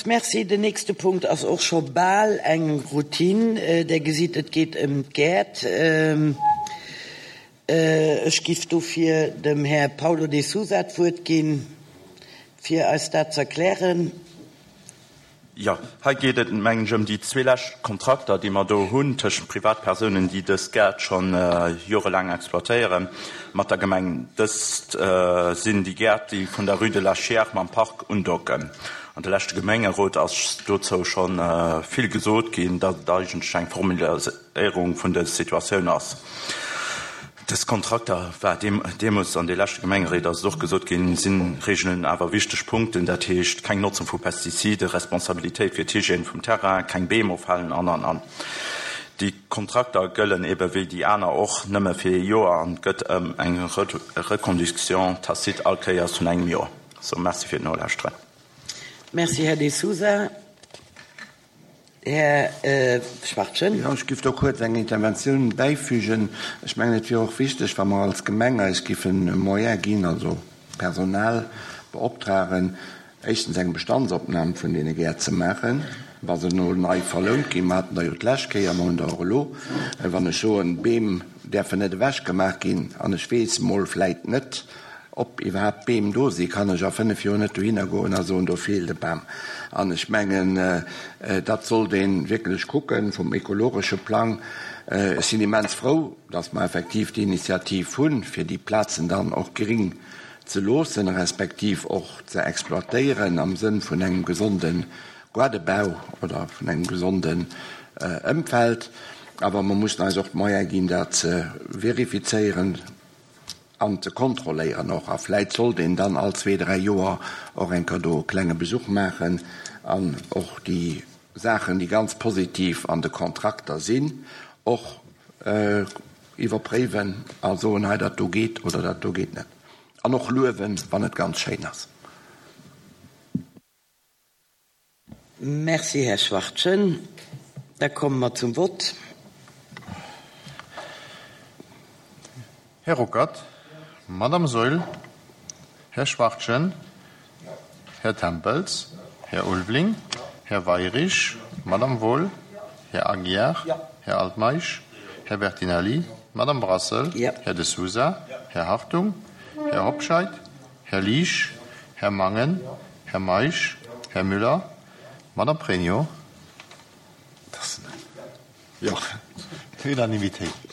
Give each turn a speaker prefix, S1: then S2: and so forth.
S1: Merci. Den nächste Punkt ass och scho bal eng Routine. Der gesitt, et geet ëm d'Gäert. Ech giff dofir dem Här Paulo de Sousa d'Wuert ginn, fir eis dat z'erklären.
S2: Jo, hei geet et, mengen ech, ëm déi zwee lescht Kontrakter, déi mer do hunn tëschent Privatpersounen, déi dës Gäert scho jorelaang exploitéieren, mat der Gemeng. Dëst sinn déi Gäert, déi vun der Rue de la Chiers mam Park undocken. An de leschte Gemengerot ass dozou scho vill gesot ginn, datt et eigentlech eng Formulierung vun der Situatioun ass. Dës Kontrakter, war deemools an de leschte Gemengeréit ass et och gesot ginn, sinn reegelen awer wichteg Punkten, dat heescht keng Notzung vu Pestizide, Responsabilitéit fir d'Hygiène vum Terrain, keng Beem ofhalen an, an, an. Déi Kontrakter gëllen ebe wéi déi aner och nëmme fir ee Joer an et gëtt ëm eng Reconduction tacite all Kéiers vun engem Joer. Sou, Merci fir d'Nolauschteren.
S1: Merci, Här De Sousa. Här Schwachtgen.
S3: Jo, ech giff do kuerz eng Interventioun bäifügen. Ech mengen, et wier och wichteg, wa mer als Gemeng eis giffen Moyen ginn, also Personal beoptragen, éischtens eng Bestandsopnam vun deene Gäert ze maachen, wa se elo nei verlount ginn. Mer haten der jo d'lescht Kéier, mer hunn der och elo. Wann ech soen, Beem däerfen net ewechgemaach ginn, an ech weess mol vläit net, Ob iwwerhaapt Beem do sinn, kann ech a 5 Joer net dohinner goen a soen, do feelt e Bam. An ech mengen, dat sollt ee wierklech kucken vum ekologesche Plang. Ech sinn immens frou, datt mer effektiv déi Initiativ hunn, fir déi Plazen dann och gring ze loossen, respektiv och ze exploitéieren am Sënn vun engem gesonde Gaardebau oder vun engem gesonden Ëmfeld. Awer mer mussen eis och d'Moyene ginn, dat ze verifizéieren. An ze kontrolléieren och. A vläit sollt een dann all zwee, dräi Joer och eng Kéier do e klenge Besuch maachen an och déi Saachen, déi ganz positiv an de Kontrakter sinn, och iwwerpréiwen a soen, hei dat do geet oder dat do geet net. An och luewen, wann et ganz schéin ass.
S1: Merci, Här Schwachtgen. Da komme mer zum Vott.
S4: Här Ruckert, Madame Saeul, Här Schwachtgen, Här Tempels, Här Ulveling, Här Weirich, Madame Wohl, Här Aguiar, Här Altmeisch, Här Bertinelli, Madame Brassel, Här De Sousa, Här Hartung, Här Hobscheit, Här Liesch, Här Mangen, Här Meisch, Här Müller, Madame Pregno. Jo, Unanimitéit.